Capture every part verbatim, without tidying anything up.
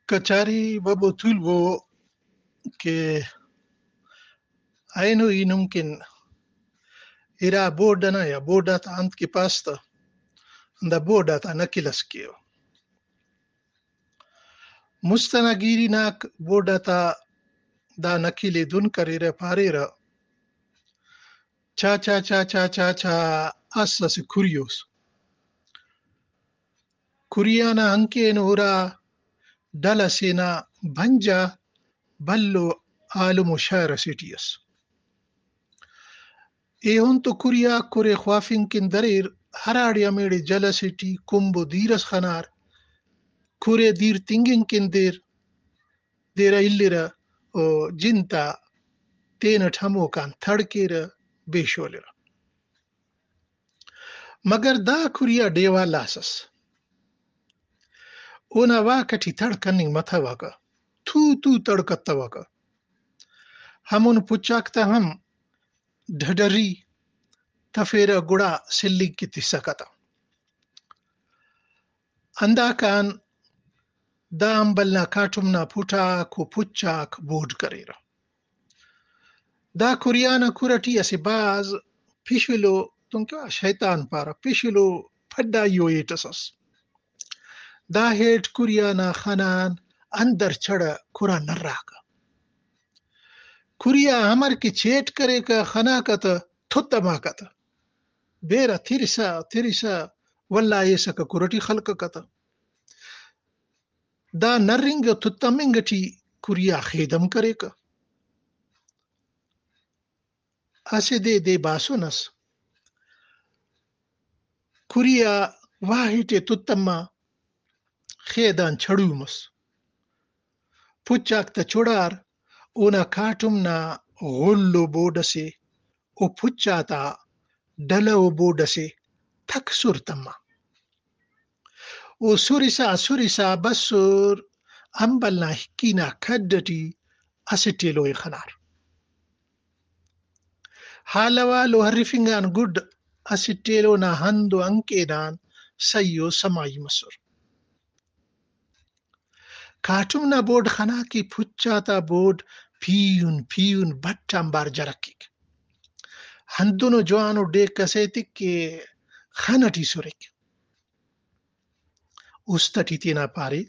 کچاری ببو تولبو کہ اینو ای نم کن ارا بورڈ ئنا یا بورڈ آتا انت کہ پاس تہ، ہندا بورڈ آتا نقل ئس کیو۔ مست ئنا گیری ناک بورڈ آتا دا نقل ئے دن کریرہ، پاریرہ، چا چا چا چا چا چا، اس اسہ کھری اس۔ کھری آ نا ہنکین ہرا ڈل ئسے نا بنجا بھلو عالم و شاعر ئسے ٹی ئس۔ ایہن تو کھری آک کھرے خوافنگ کن دریر، ہراڑے ہمیڑے جل ئسے ٹی کمب و دیر ئس خنار، کھرے دیر تنگنگ کن دیر، دیرہ الیرہ و جن تا تینٹ ہموکان تڑ کیرہ، بے شولرہ۔ مگر دا کھری آ ڈیوال آس ئس۔ اونا واک ئٹی تڑ کننگ متوکہ، تھو تھو تڑ کتوکہ۔ ہمون پچ آک تہ ہم ڈڈری تفیرہ، گڑا سلنگ کہ تسکہ تہ۔ ہنداکان دا امبل نا کاٹم نا پھٹاک و پچ آک بورڈ کریرہ۔ دا کھری آ نا کھر ئٹی اسہ بھاز پشلو، دنکہ شیطان پارہ، پشلو پھڈائی ءُ ہیٹ ئس ئس۔ دا ہیٹ کھری آ نا خن آن اندر چڑہ، کھر آ نراکہ۔ کھری آ امر کہ چیٹ کریکہ، خناکہ تہ تھتماکہ تہ۔ بیرہ ترسا ترسا ولدا ایسکہ کھر ئٹی خلککہ تہ۔ دا نرنگ و تتمنگ ٹی کھری آ خیدم کریکہ۔ اسہ دے دے باسن ئس۔ کھری آ واہٹ ئے تتما، خیدان چڑو مس۔ پچ آک تہ چڑار، اونا کاٹم نا غل و بورڈ ئسے، او پچ آتا ڈلہ و بورڈ ئسے تک سر تما۔ او سرسا سرسا بسر، امبل نا ہکی نا کھڈ ئٹی اسٹ ایلو ئے خنار۔ حال احوال و ہرفنگ آن گڈ اسٹ ایلو نا ہند و ہنکین آن سہی و سمائی مسر۔ کاٹم نا بورڈ خنا کہ پچ آتا بورڈ پیہن پیہن بٹ آنبار جرکک۔ ہندنو جوانو ڈیک ئس ایتک کہ خن ئٹی سرک۔ است ئٹی تینا پارے،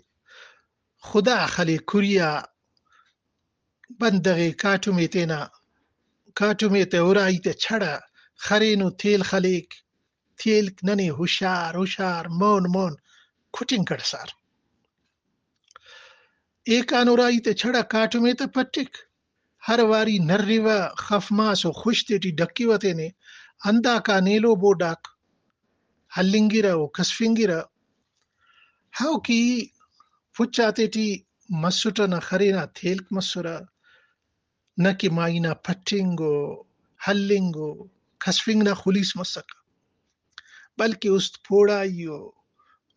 خدا خلے کھری آ بندغ ئے کاٹم ئے تینا، کاٹم ئے تہ ارائی تہ چڑہ، خرینو تیل خلیک، تیلک ننے ہشار ہشار مون مون کٹنگ کڑسار۔ ایکان ارائی تہ چڑہ کاٹم ئے تہ پٹک، ہر واری نریوہ، خف ماس و خش تیٹی ڈکیوہ تینے، ہنداکان ایلو بورڈ آک ہلنگرہ و کسفنگرہ۔ ہاؤ کہ ای پچ آتیٹی مسٹہ، نہ خرینا تیلک مسرہ، نہ کہ مائی نا پٹنگ و ہلنگ و کسفنگ نا خلیس مسکہ، بلکہ است پوڑائی و،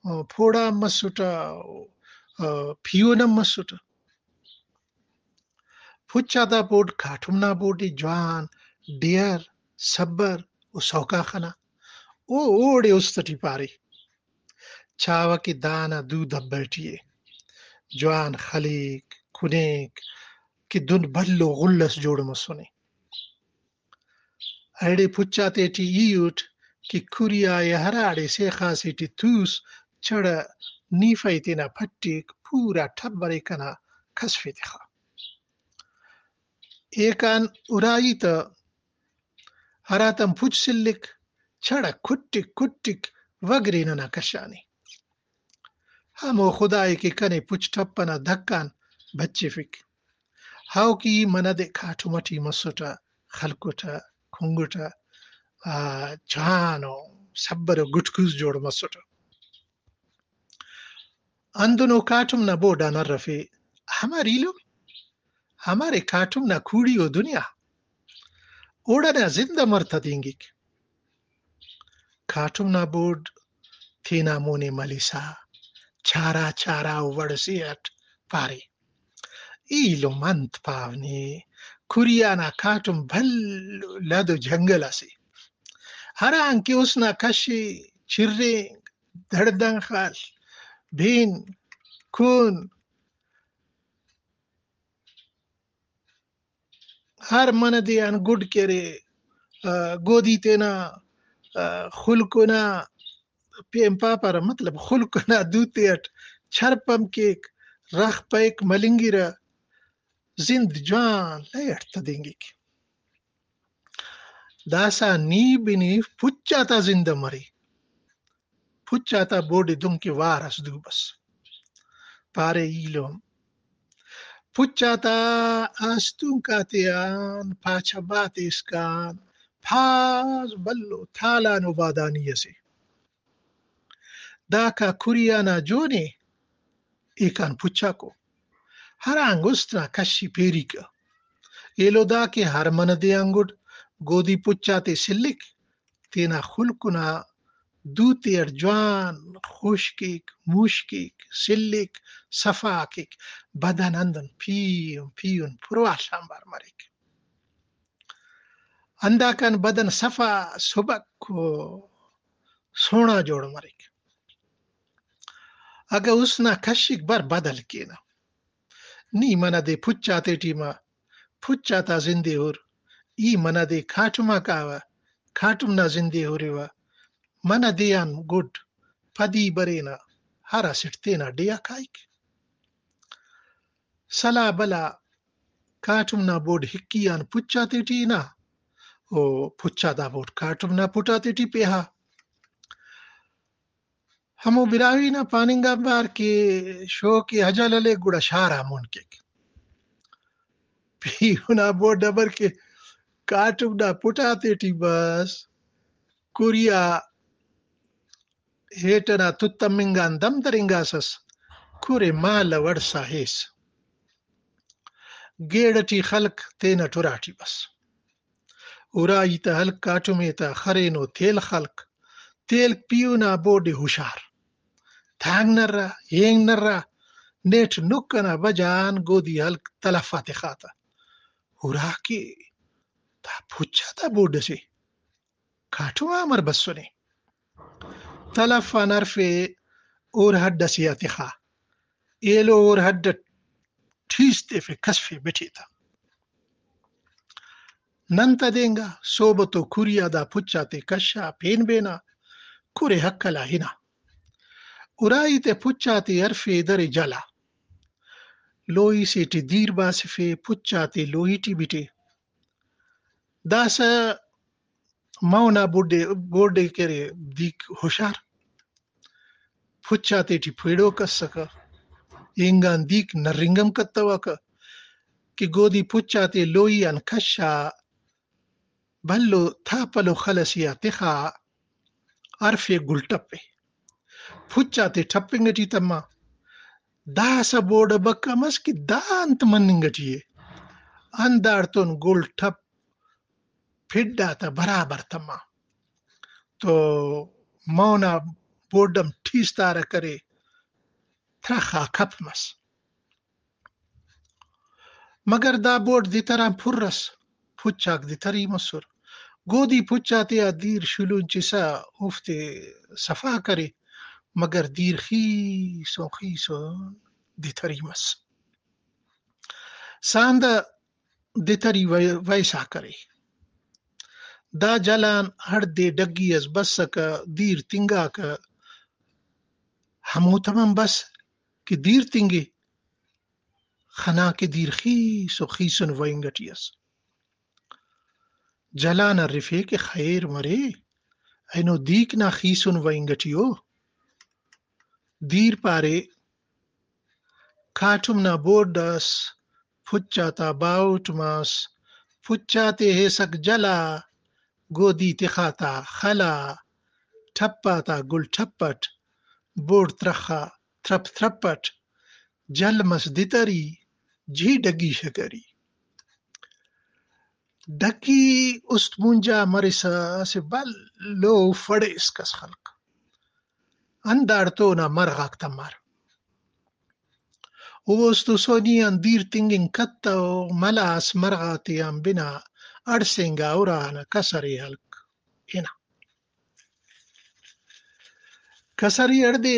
آ، پوڑا ہم مسٹہ و، آ، پیہن ہم مسٹہ۔ پچ آتا بورڈ کاٹم نا بورڈ ءِ، جوان، ڈیہر، سبر و سوکا خنا۔ او اوڑے است ٹی پارے، چاوہ کہ دانا دو دبہ ٹی ءِ۔ جوان خلیک، کُنیک کہ دن بھلو غل ئس جوڑ مسنے۔ ایڑے پچ آتیٹی ای اٹ کہ کھری آ ءِ ہراڑے سیخا سے ٹی توس، چڑہ نیفہ ءِ تینا پٹیک، پورا ٹبر ءِ کنا کسفے تخا۔ ایکان ارائی تہ ہراتم پچ سلک، چڑہ کٹک کٹک وگرے ننا کشانے۔ ہمو خدائے کہ کنے پچ ٹپ ئنا دھکان بچفک۔ ہاؤ کہ ای منہ دے کاٹم ئٹی مسٹہ، خلکٹہ، کنگٹہ، آ، جوان و سبر و گٹکوس جوڑ مسٹہ۔ ہندنو کاٹم نا بورڈ آن ہرفے، ہمر ایلم، ہمرے کاٹم نا کوڑی و دنیا، اوڑنا زند امر تدینگک۔ کاٹم نا بورڈ تینا مونے ملسا، چارا چارا و وڑ سے اٹ پارے، ایلم انت پاو نے، کھری آ نا کاٹم بھلو لد و جنگل اسے، ہرانکہ اس نا کش ءِ، چرینک، دڑدان خل، بن، کن، ہر منہ دے آن گڈ کہ ارے، آ، گودی تینا، آ، خلکنا پین پاپارہ، مطلب خلکنا دوتے اٹ چھرپ ہم کیک، رخ پائک ملنگرہ، زند جوان لے اٹ تدینگک۔ داسہ نی بنی پچ آتا زند مرے۔ پچ آتا بوڈ ئے دنکہ وار ئس دو بس۔ پارے ایلم پچ آتا آستونک آتیان پاچا بات ایسکان پاز بھلو تالان و بادانی ئسے۔ داکا کریانا جونے ایکان پچاکو۔ ہرانگ است نا کشی پیریکہ۔ ایلو دا کہ ہر منہ دے آن گڈ گودی پچ آتے سلک، تینا خلکنا دوتے اٹ جوان خوش کیک، موش کیک، سلک، صفا کیک، بدن اندن پیہن پیہن پرواش آنبار مریک۔ ہنداکان بدن صفا سبک و سوہنا جوڑ مریک۔ اگہ اس نا کشک بر بدل کینہ۔ نی منہ دے پچ آتے ٹی ما، پچ آتا زندے ہر، ای منہ دے کاٹم آ کاوہ، کاٹم نا زندے ہریوہ، منہ دے آن گڈ پدی برینہ، ہر اسٹ تینا ڈیہہ کائک۔ سلا بلا کاٹم نا بوڈ ہکی آن پچ آتے ٹی ہنا، او پچ آ دا بوڈ کاٹم نا پٹ آتے ٹی پیہا۔ ہمو براہوئی نا پاننگ آنبار کہ شوق اجل ہلے گڑا شار آ مون کیک۔ پیہن آ بوڈ امر کہ کاٹم نا پٹ آتے ٹی بس، کریا ہیٹ ئنا تت تمنگ آن دم درینگاسس، کر ئے مالو اڑسا ہیس۔ گیڑ ئٹی خلک تینٹ اراٹی بس۔ ارائی تہ ہلک، کاٹمے تہ خرینو تیل خلک۔ تیل پیہن آ بوڈ ئے ہشار۔ تانگ نرا، ہینگ نرا، نیٹ نک ئنا بجان گودی ہلک تلف آ تخا تہ۔ اراکہ دا پچ آتا بوڈ ئسے۔ کاٹم آ امر بسنے؟ تلف آن ہرفے ہور ہڈ ئسے آ تخا۔ ایلو ہور ہڈ ئٹ ٹھیس تیفے، کسفے بٹے تہ۔ نن تدینگا، صحبت و کریا دا پچ آتے کشا، پین بینا، کرے ہکل آ ہنا۔ ارائی تے پچ آتے ہرفے درے جلا۔ لوئی سے ٹی دیر باسفے، پچ آتے لوئی ٹی بٹے۔ داسہ مون آ بوڈ ئے، بوڈ ئے کہ ارے دیک ہشار۔ پچ آتے ٹی پیڑوک اسکہ، اینگان دیک نرنگ ہم کتوکہ کہ گودی پچ آتے لوئی آن کشا، بھلو تاپلو خل ئسے آ تخا، ہرفے گل ٹپے۔ پچ آتے ٹپنگ ٹی تما۔ داسہ بوڈ بکا مس کہ دا انت مننگ ٹی ءِ۔ ہنداڑتون گل ٹپ پھڈ آتا برابر تما۔ تو مون آ بوڈ ہم ٹھیس تارہ کرے، ترخ آ کپ مس۔ مگر دا بوڈ دتر آن پر ئس، پچ آک دتری مسر۔ گودی پچ آتیا دیر شلونچسا اوفتے صفا کرے، مگر دیر خیسن خیسن دتری مس۔ ساندہ دتری وئے-، ویسا کرے۔ دا جلان ہڑدے ڈگی ئس بسکہ، دیر تنگاکہ، ہموتم ہم بس کہ دیر تنگے۔ خنا کہ دیر خیس و خیسن وئنگ ٹی ئس۔ جلان ہرفے کہ خیر مرے، اینو دیک نا خیسن وئنگ ٹی او۔ دیر پارے، کاٹم نا بوڈ ئس، پچ آتا باہوٹ مس، پچ آتے ہیسک جلا، گودی تخا تا خلا، ٹپ آتا گل ٹپ اٹ، بوڈ ترخا ترپ ترپ اٹ، جل مس دتری، جی ڈگی شکری۔ ڈگی است مونجا مرسا اسہ بھلو فڑیس کس خلک۔ ہنداڑتون آ مرغاک تمار۔ اوست و سونی آن دیر تنگنگ کتو، ملاس مرغاتیان بنا اڑسینگا ارانا کسرے ہلک ہنا۔ کسری ہڑدے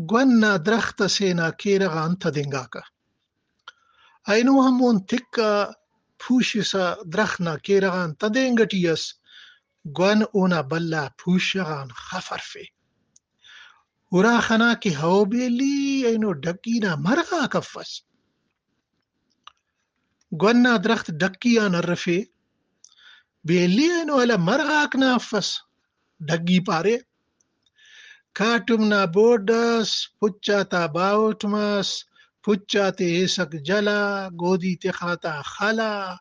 گون نا درخت ئسے نا کیرغ آن تدینگاکہ۔ اینو ہمون تکہ پوشسا درخت نا کیرغ آن تدینگ ٹی ئس، گؤن اونا بھلا پوشغ آن خف ہرفے۔ ہرا خنا کہ ہو بیلی، اینو ڈگی نا مرغاک افس۔ گؤن نا درخت ڈکی آن ہرفے، بیلی اینو ہلہ مرغاک نا افس۔ ڈگی پارے، کاٹم نا بوڈ ئس، پچ آتا باہوٹ مس، پچ آتے ایسک جلا، گودی تخا تا خلا،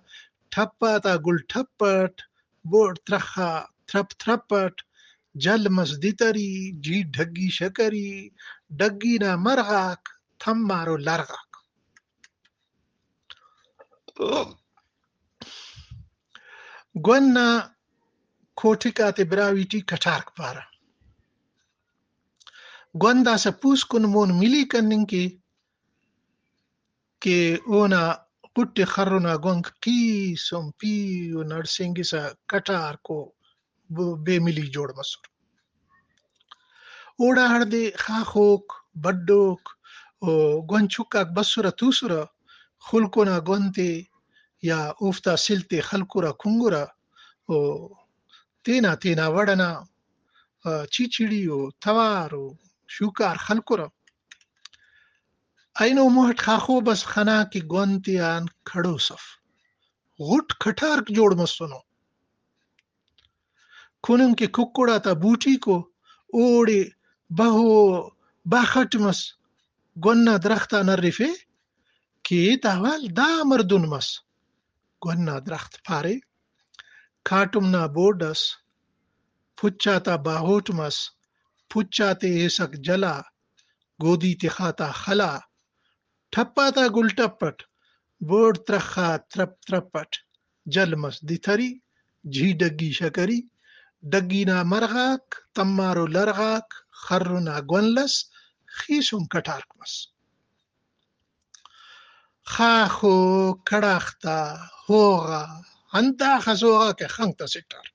ٹھپ آتا گل ٹھپ اٹ، بوڈ ترخا ترپ ترپ اٹ، جل مس دتری، جی ڈگی شکری، ڈگی نا مرغاک، تمارو لرغاک۔ گؤن نا کوٹک آتے براہوئی ٹی کٹارک پارہ۔ گؤن داسہ پوسکن مون ملی کننگ کے کہ اونا غٹ ءِ خرنا گونک کیس ہم پیہن ہڑسینگسہ کٹارکو ب-، بے ملی جوڑ مسر۔ اوڑا ہڑدے خاخوک، بڈوک و گؤن چکاک بسرہ توسرہ، خلکنا گؤن تے یا اوفتا سل تے خلکرہ کنگرہ و تینا تینا وڑ ئنا، آ، چیچڑی و توار و شوکار خلکرہ۔ اینو موہٹ خاخو بس خنا کہ گؤن تیان کڑوس اف۔ غٹ کھٹارک جوڑ مسنو۔ کننگ کہ ککڑ آتا بوٹیکو اوڑے بہو بخٹ مس۔ گؤن نا درخت آن ہرفے کہ ایتا حوال دا مردن مس۔ گؤن نا درخت پارے، کاٹم نا بوڈ ئس، پچ آتا باہوٹ مس، پچ آتے ایسک جلا، گودی تخا تا خلا، ٹھپ آتا گل ٹپ اٹ، بوڑ ترخا ترپ ترپ اٹ، جل مس دتری، جھی ڈگی شکری، ڈگی نا مرغاک، تمارو لرغاک، خرنا گؤن لس، خیسن کٹارک مس۔ خاخو کڑاخ تا ہوغا، ہنداخس ہوغا کہ خنک تا سٹار۔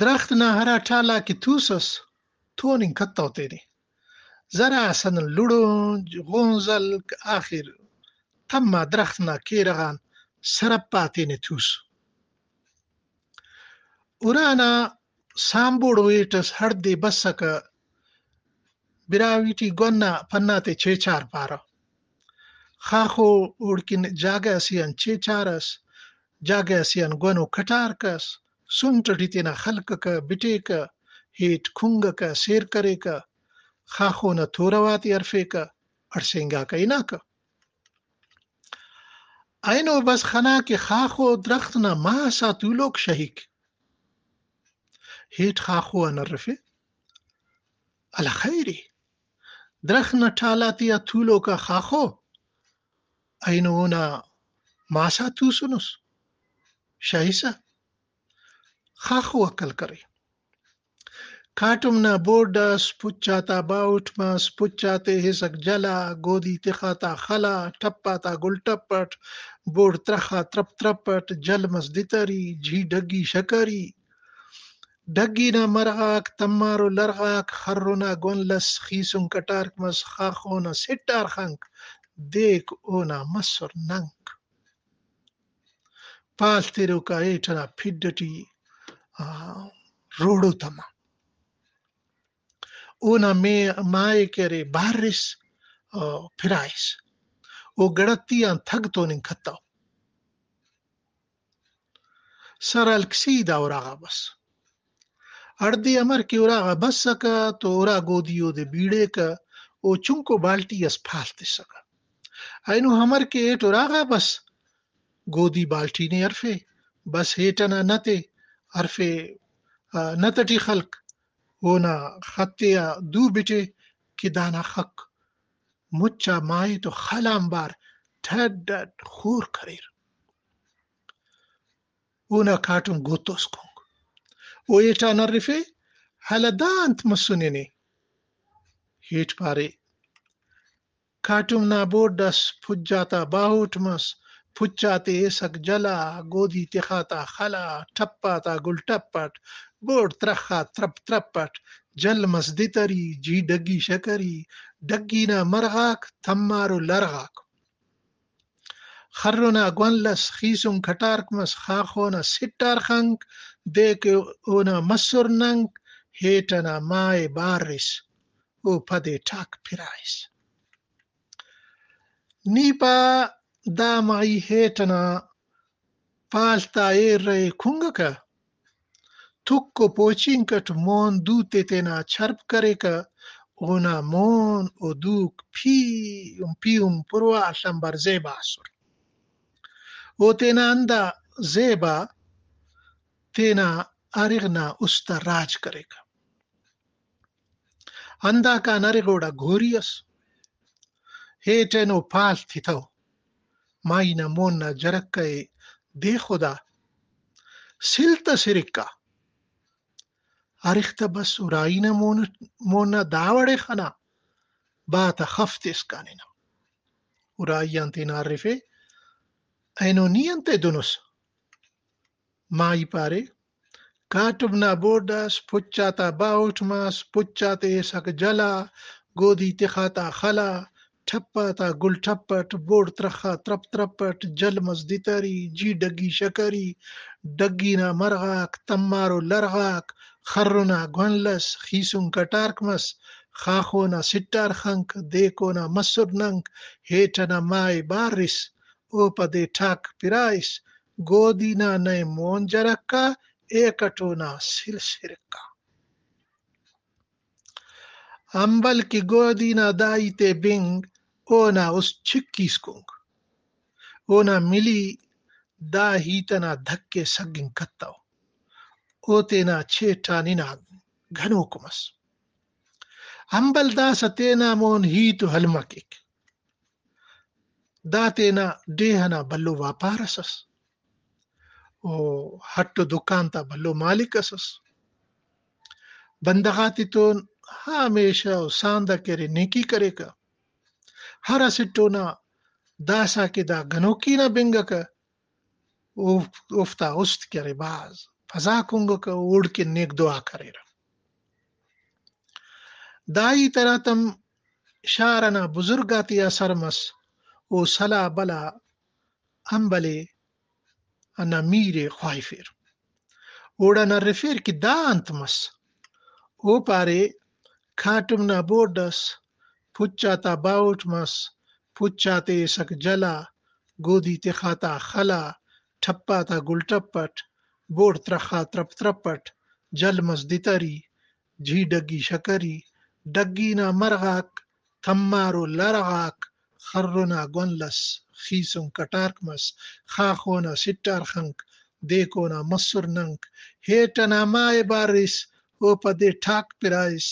درخت نا ہرا ٹالا کہ توسس، توننگ کتو تینے۔ ذرا سندن لڑونج، غونزلک، آخر تما درخت نا کیرغ آن سرپا تینے توس۔ ارانا سامبوڑو ہیٹ ئس ہڑدے بسکہ، براہوئی ٹی گؤن نا پنا تے چیچار پارہ۔ خاخو اوڑکن جاگہ اسے آن چیچار ئس، جاگہ اسے آن گؤن و کٹارک ئس، سنٹ ٹی تینا خلککہ، بٹیکہ، ہیٹ کنگکہ، سیر کریکہ، خاخو نا تورو آتے ہرفیکہ، ہڑسینگاکہ ہناکہ۔ اینو بس خنا کہ خاخو درخت نا ماس آ تولوک شہیک۔ ہیٹ خاخو آن ہرفے، ہلا خیر ءِ، درخت نا ٹالا تیا تولوک آ خاخو، اینو اونا ماس آ توسنس، شہسہ۔ خاخو عقل کرے۔ کاٹم نا بوڈ ئس، پچ آتا باہوٹ مس، پچ آتے ہسک جلا، گودی تخا تا خلا، ٹپ آتا گل ٹپ اٹ، بوڈ ترخا ترپ ترپ اٹ، جل مس دتری، جھی ڈگی شکری۔ ڈگی نا مرغاک، تمارو لرغاک، خرنا گؤن لس، خیسن کٹارک مس، خاخو نا سٹار خنک، دیک اونا مسر ننک۔ پال تروکا ہیٹ ئنا پھڈ ئٹی، آ، روڑو تما۔ اونا مے-، مائے کہ ارے بارس، آ، پھرائس۔ او گڑتی آن تھگ توننگ کتو۔ سر ہلک سیدھا اراغا بس۔ ہڑدے امر کہ اراغا بسکہ تو ارا گودی اودے بیڑیکہ، او چنکو بالٹی ئس پال تسکہ۔ اینو امر کہ ہیٹ اراغا بس، گودی بالٹی نے ہرفے، بس ہیٹ ئنا نت ءِ ہرفے، آ، نت ئٹی خلک، اونا خط ءِ آ دو بٹے کہ دانا خک مچ آ ماہی تو خل آنبار ٹھڈ ٹھڈ خور کریر۔ اونا کاٹم گوتوس کنگ۔ او ہیٹان ہرفے، ہلہ دا انت مسنے نے؟ ہیٹ پارے، کاٹم نا بوڈ ئس، پھج آتا باہوٹ مس، پھچ آتے ایسک جلا، گودی تخا تا خلا، ٹپ آتا گل ٹپ اٹ، بوڈ ترخا ترپ ترپ اٹ، جل مس دتری، جی ڈگی شکری، ڈگی نا مرغاک، تمارو لرغاک۔ خر ئنا گونل ئس، خیسن کٹارک مس، خاخو نا سٹار خنک، دے کہ اونا مسر ننک، ہیٹ ئنا ماہ ءِ بارس، او پدے ٹاک پرائس۔ نی پا، دا ماہی ہیٹ ئنا پال تا ایر ءِ کنگکہ، تک و پوچینک اٹ مون دوتے تینا چرپ کریکہ، اونا مون و دوک پیہن پیہن پروا آ لمبر زیبا ئسر۔ او تینا ہندا زیبا تینا ارغ نا است آ راج کریکہ۔ ہنداکان ارغ اوڑا گھوری ئس۔ ہیٹ اینو پال تتو۔ ماہی نا مون نا جرکہ ءِ دے خدا۔ سل تس ہرکا۔ ارغ تہ بس ارائی نا مون، مون نا دا وڑے خنا۔ با تا خف تسکان ہنا۔ ارائی آن تینا ہرفے، اینو نی انتئے دنس؟ ماہی پارے، کاٹم نا بوڈ ئس، پچ آتا باہوٹ مس، پچ آتے ایسک جل آ، گودی تخاتا خل آ، ٹھپ آتا گل ٹھپ اٹ، بوڑ ترخا ترپ ترپ اٹ، جل مس دتری، جی ڈگی شکری، ڈگی نا مرغاک، تمارو لرغاک، خر ئنا گونل ئس، خیسن کٹارک مس، خاخو نا سٹار خنک، دیکو نا مسر ننک، ہیٹ ئنا ماہ ءِ بارس، او پدے ٹاک پرائس، گودی نا نئے مون جرکہ، ایکٹو نا سل سرکہ۔ امبل کہ گودی نا دا ہیت ءِ بنگ، اونا است چکیس کنگ۔ اونا ملی دا ہیت ئنا دھک ءِ سگنگ کتو۔ او تینا چیٹ آن ہنا گنوک مس۔ امبل داسہ تینا مون ہیت و ہلمہ کیک۔ دا تینا ڈیہہ ئنا بھلو واپار ئس ئس۔ او ہٹ و دکان تا بھلو مالک ئس ئس۔ بندغ آتتون ہمیشہ او ساندہ کہ ارے نیکی کریکہ۔ ہر اسٹ اونا داسہ کہ دا گنوکی نا بنگکہ، اوف-، اوفتا است کہ ارے بھاز پزا کنگکہ، اوڑکن نیک دعا کریرہ۔ دا ہیت ہراتم شار ئنا بزرگ آتیا سر مس، او سلاہ بلا امبلے ئنا میر ءِ خواہفیر۔ اوڑان ہرفیر کہ دا انت مس؟ او پارے، کاٹم نا بوڈ ئس، پچ آتا باہوٹ مس، پچ آتے ایسک جل آ، گودی تخاتا خل آ، ٹھپ آتا گل ٹھپ اٹ، بوڑ ترخا ترپ ترپ اٹ، جل مس دتری، جی ڈگی شکری، ڈگی نا مرغاک، تمارو لرغاک، خر ئنا گونل ئس، خیسن کٹارک مس، خاخو نا سٹار خنک، دیکو نا مسر ننک، ہیٹ ئنا ماہ ءِ بارس، او پدے ٹاک پرائس،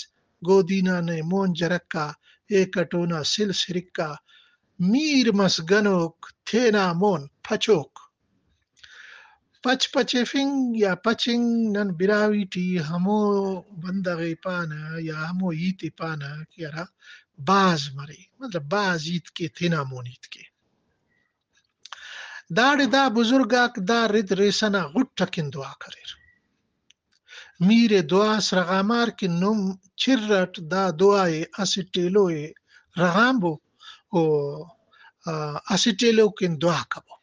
گودی نا نئے مون جرکہ، ایکٹ اونا سل سرکہ، میر مس گنوک، تینا مون پچوک۔ پچ پچیفنگ یا پچنگ نن براہوئی ٹی ہمو بندغ ءِ پانہ یا ہمو ہیت ءِ پانہ کہ ہرا بھاز مرے، مطلب بھاز ہیت کے، تینا مون ہیت کے۔ داڑے دا بزرگ آک دا رد ریسہ نا غٹ اکن دعا کریر۔ میر ءِ دعا اس رغامار کہ نم چر اٹ دا دعا ءِ اسٹ ایلو ءِ رغانبو، او، آ، اسٹ ایلو کن دعا کبو۔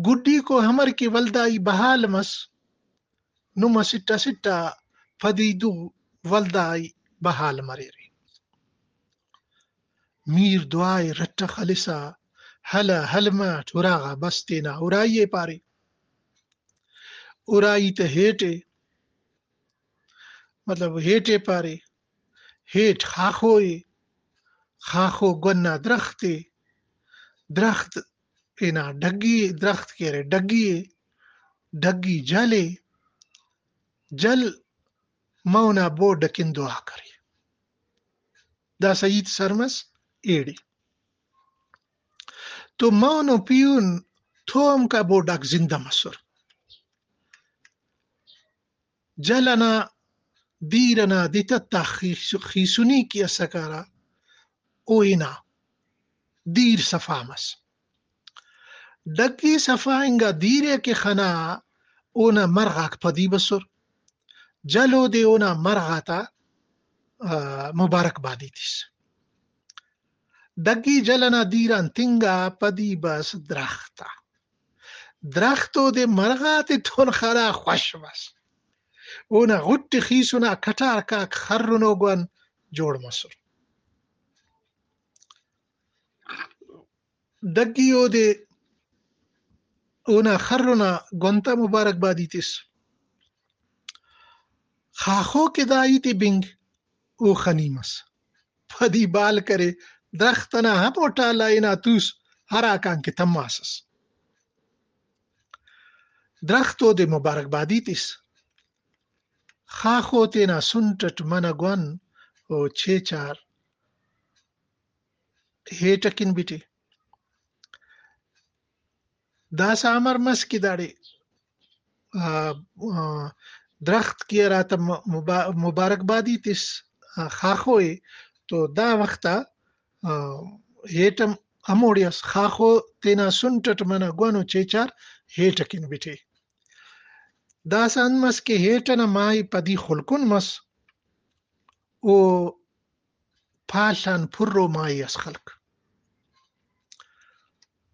گڈیکو امر کہ ولدا ای بحال مس، نم اسٹ اسٹ آ پدی دو ولدا ای بحال مریرے۔ میر دعا ءِ رٹہ خلسا ہلہ ہلمہ اٹ اراغا بس تینا ارائی ءِ پارے۔ ارائی تہ ہیٹ ءِ، مطلب ہیٹ ءِ پارے، ہیٹ خاخو ءِ، خاخو گن آ درخت ءِ، درخت ہنا ڈگی ءِ، درخت کہ ارے ڈگی ءِ، ڈگی جل ءِ، جل مون آ بوڈ اکن دعا کرے۔ داسہ ہیت سر مس ایڑے۔ تو مون و پیہن تومکا بوڈ آک زندہ مسر۔ جل ئنا دیر ئنا دتت آ خیس-، خیسنی کہ ئسکہ ہرا، او ہنا دیر صفا مس۔ ڈگی صفا انگا دیر ءِ کہ خنا، اونا مرغ آک پدی بسر۔ جل اودے اونا مرغ آتا، آ، مبارکبادی تس۔ ڈگی جل ئنا دیر آن تنگا پدی بس درخت آ۔ درخت اودے مرغ آتتون خڑا خوش مس۔ اونا غٹ خیسنا کٹارکاک خرنو گون جوڑ مسر۔ ڈگی اودے اونا خرنا گون تا مبارکبادی تس۔ خاخو کہ دا ہیت ءِ بنگ، او خنی مس۔ پدی بال کرے، درخت ئنا ہمو ٹال آ ہنا توس، ہراکان کہ تماسس۔ درخت اودے مبارکبادی تس۔ خاخو تینا سنٹ ئٹ منہ گون و چیچار ہیٹ ئکن بٹے۔ داسہ امر مس کہ داڑے، آ، آ، درخت کہ ہراتم مبا-، مبارکبادی تس، آ، خاخو ءِ، تو دا وخت آ، آ، ہیٹ ہم ہموڑے ئس۔ خاخو تینا سنٹ ئٹ منہ گون و چیچار ہیٹ ئکن بٹے۔ داسہ انت مس کہ ہیٹ ئنا ماہی پدی خلکن مس، او پال آن پھرو ماہی ئس خلک۔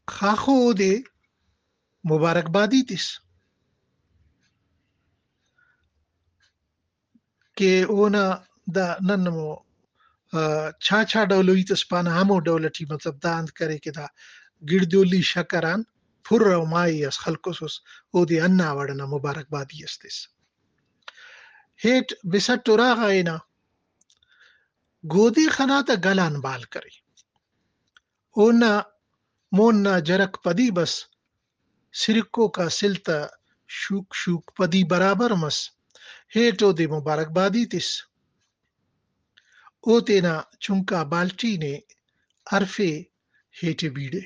خاخو اودے مبارکبادی تس کہ اونا دا نن ہمو، آ، چاچا ڈولو ہیت ئس پانہ، ہمو ڈول ئٹی مطلب دا انت کرے کہ دا گڑدولی شکر آن پھرو ماہی ئس خلکوسس، اودے ہندا وڑ ئنا مبارکبادی ئس تس۔ ہیٹ بسٹ اراغا ہنا گودی خنا تا گل آن بال کرے۔ اونا مون نا جرک پدی بس، سرکوکا سل تا شوک شوک پدی برابر مس۔ ہیٹ اودے مبارکبادی تس۔ او تینا چنکا بالٹی نے ہرفے، ہیٹے بیڑے۔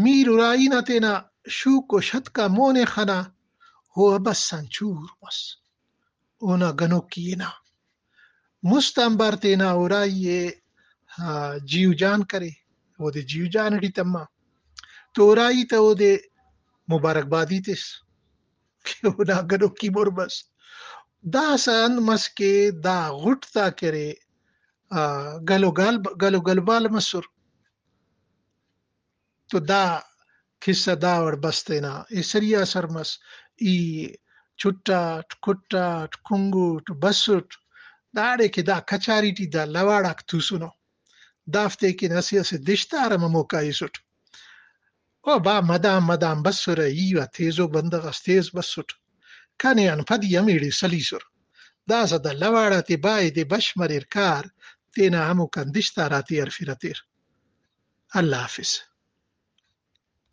میر ارائی نا تینا شوک و شتکا مون ءِ خنا، او ابس آن چور مس۔ اونا گنوکی ہنا۔ مست آنبار تینا ارائی ءِ، آ، جیو جان کرے، اودے جیو جان ٹی تما۔ تو ارائی تا اودے مبارکبادی تس کہ اونا گنوکی مر مس۔ داسہ انت مس کہ دا غٹ تا کرے، آ، گل و گال، گل و گلبال مسر۔ تو دا قصہ دا وڑ بس تینا ایسری آ سر مس۔ ای چٹاٹ، کٹاٹ، کنگوٹ، بسٹ، داڑے کہ دا کچاری ٹی دا لواڑاک توسنو، دافتے کن اسہ اسہ دشتار ہم ہموکا ایسٹ۔ او با مدام مدام بسرہ، ای وا تیزو بندغ اس تیز بسٹ، کنے آن پدی ہمیڑے سلیسر۔ داسہ دا لواڑ آتے بائے دے بش مریر کار، تینا ہموکان دشتار آتے ہرفرہ تیر۔ اللہ حافظ۔